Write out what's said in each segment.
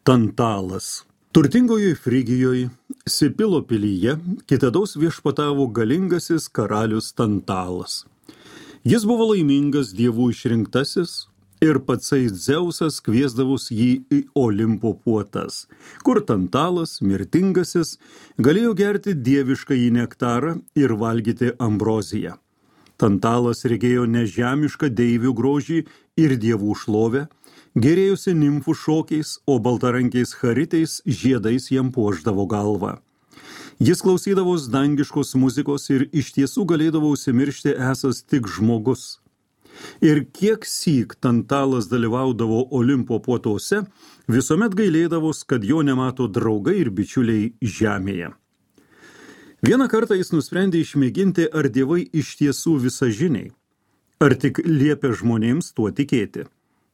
Tantalas. Turtingoje Frigijoje, Sipilo pilyje, kitados viešpatavo galingasis karalius Tantalas. Jis buvo laimingas dievų išrinktasis ir patsai Dzeusas kviesdavus jį į Olimpo puotas, kur Tantalas, mirtingasis, galėjo gerti dievišką į nektarą ir valgyti ambroziją. Tantalas regėjo nežemišką deivių grožį ir dievų šlovę, gerėjusi nimfų šokiais, o baltarankiais charitais žiedais jam puošdavo galvą. Jis klausydavos dangiškos muzikos ir iš tiesų galėdavo užsimiršti esas tik žmogus. Ir kiek syk Tantalas dalyvaudavo Olimpo puotose, visuomet gailėdavos, kad jo nemato draugai ir bičiuliai žemėje. Vieną kartą jis nusprendė išmėginti, ar dievai iš tiesų visažiniai, ar tik liepia žmonėms tuo tikėti.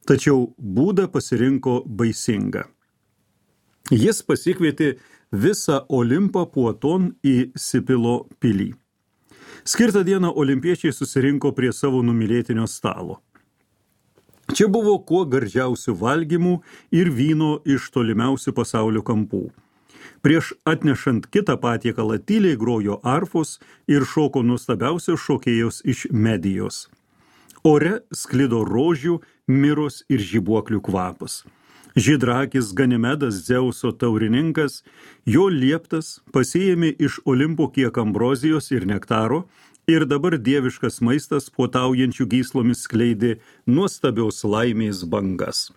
Tačiau būdą pasirinko baisingą. Jis pasikvietė visą Olimpą puoton į Sipilo pilį. Skirtą dieną olimpiečiai susirinko prie savo numylėtinio stalo. Čia buvo kuo gardžiausių valgymų ir vyno iš tolimiausių pasaulio kampų. Prieš atnešant kitą patiekalą tyliai grojo arfos ir šoko nuostabiausios šokėjos iš Medijos. Ore sklido rožių, miros ir žibuoklių kvapas. Žydrakis Ganimedas, Dzeuso taurininkas, jo lieptas pasiėmė iš Olimpo kiek ambrozijos ir nektaro ir dabar dieviškas maistas puotaujančių gyslomis skleidė nuostabios laimės bangas.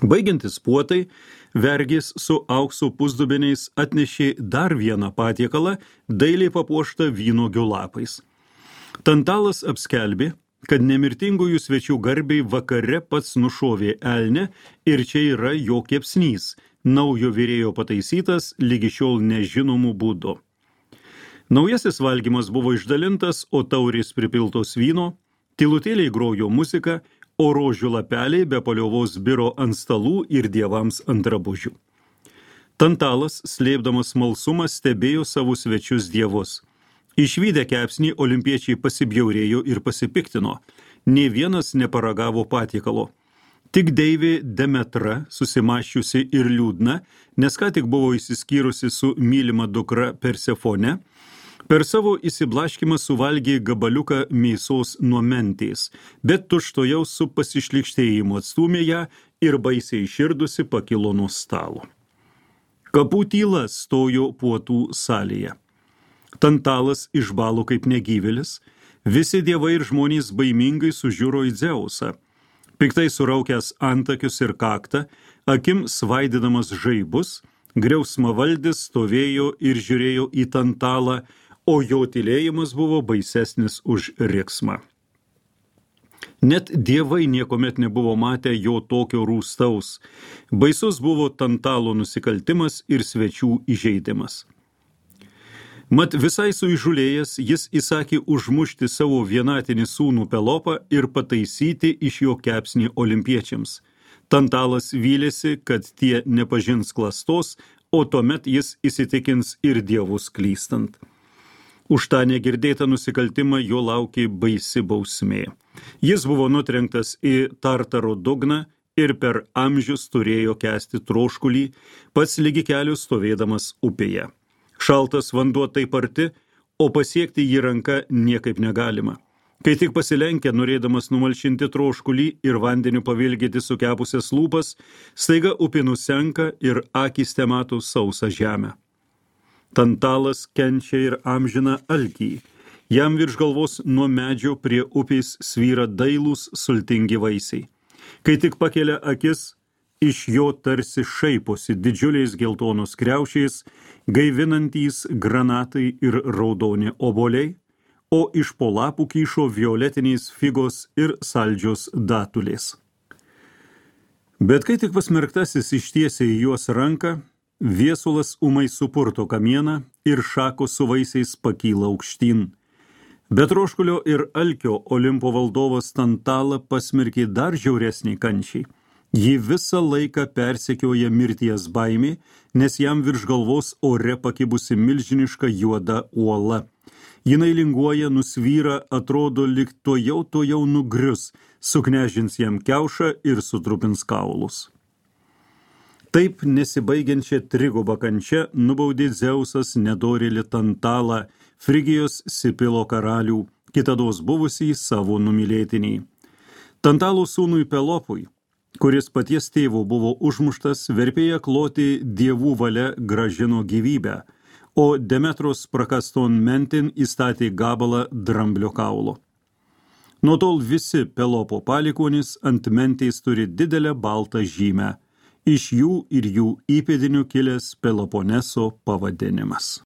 Baigiantis puotai, vergės su aukso pusdubeniais atnešė dar vieną patiekalą, dailiai papuoštą vynuogių lapais. Tantalas apskelbė, kad nemirtingųjų svečių garbiai vakare pats nušovė elnę ir čia yra jo kepsnys, naujo virėjo pataisytas lygi šiol nežinomų būdų. Naujasis valgymas buvo išdalintas, o taurės pripiltos vyno, tylutėliai grojo muzika, o rožių lapeliai be paliovos biro ant stalų ir dievams ant drabužių. Tantalas, slėpdamas smalsumą, stebėjo savo svečius dievus. Išvydę kepsnį, olimpiečiai pasibjaurėjo ir pasipiktino. Nė vienas neparagavo patiekalo. Tik deivė Demetra, susimaščiusi ir liūdna, nes ką tik buvo išsiskyrusi su mylima dukra Persefone, per savo įsiblaškimą suvalgė gabaliuką mėsos nuo mentės, bet tučtuojau su pasišlykštėjimu atstūmė ją ir baisiai iširdusi pakilo nuo stalo. Kapų tyla stojo puotų salėje. Tantalas išbalo kaip negyvėlis, visi dievai ir žmonės baimingai sužiuro į Dzeusą. Piktai suraukęs antakius ir kaktą, akim svaidydamas žaibus, griausmavaldis stovėjo ir žiūrėjo į Tantalą, o jo tylėjimas buvo baisesnis už riksmą. Net dievai niekuomet nebuvo matę jo tokio rūstaus. Baisus buvo Tantalo nusikaltimas ir svečių įžeidimas. Mat visai suįžulėjęs, jis įsakė užmušti savo vienatinį sūnų Pelopą ir pataisyti iš jo kepsnį olimpiečiams. Tantalas vylėsi, kad tie nepažins klastos, o tuomet jis įsitikins ir dievus klystant. Už tą negirdėtą nusikaltimą jo laukė baisi bausmė. Jis buvo nutrenktas į Tartaro dugną ir per amžius turėjo kęsti troškulį, pats lygi kelių stovėdamas upėje. Šaltas vanduo taip arti, o pasiekti jį ranka niekaip negalima. Kai tik pasilenkia, norėdamas numalšinti troškulį ir vandeniu pavilgyti sukepusias lūpas, staiga upė nusenka ir akys temato sausą žemę. Tantalas kenčia ir amžina alkį. Jam virš galvos nuo medžio prie upės svyra dailūs sultingi vaisiai. Kai tik pakelia akis, iš jo tarsi šaiposi didžiuliais geltonos kriaušiais, gaivinantys granatai ir raudoni obuoliai, o iš po lapų kyšo violetiniais figos ir saldžios datulės. Bet kai tik pasmerktasis ištiesė į juos ranką, viesulas ūmai supurto kamieną ir šakos su vaisiais pakyla aukštyn. Bet troškulio ir alkio Olimpo valdovas Tantalą pasmerkė dar žiauresnį kančiai. Jį visą laiką persekioja mirties baimė, nes jam virš galvos ore pakibusi milžiniška juoda uola. Jinai linguoja, nusvyra, atrodo lyg tuojau nugrius, suknežins jam kiaušą ir sutrupins kaulus. Taip nesibaigiančią trigubą kančią nubaudė Dzeusas nedorėlį Tantalą, Frigijos Sipilo karalių, kitados buvusį savo numylėtinį. Tantalo sūnui Pelopui, kuris paties tėvo buvo užmuštas, verpėja kloti dievų valia grąžino gyvybę, o Demetros prakaston mentin įstatė gabalą dramblio kaulo. Nuo tol visi Pelopo palikuonys ant mentės turi didelę baltą žymę, iš jų ir jų įpėdinių kilęs Peloponeso pavadinimas.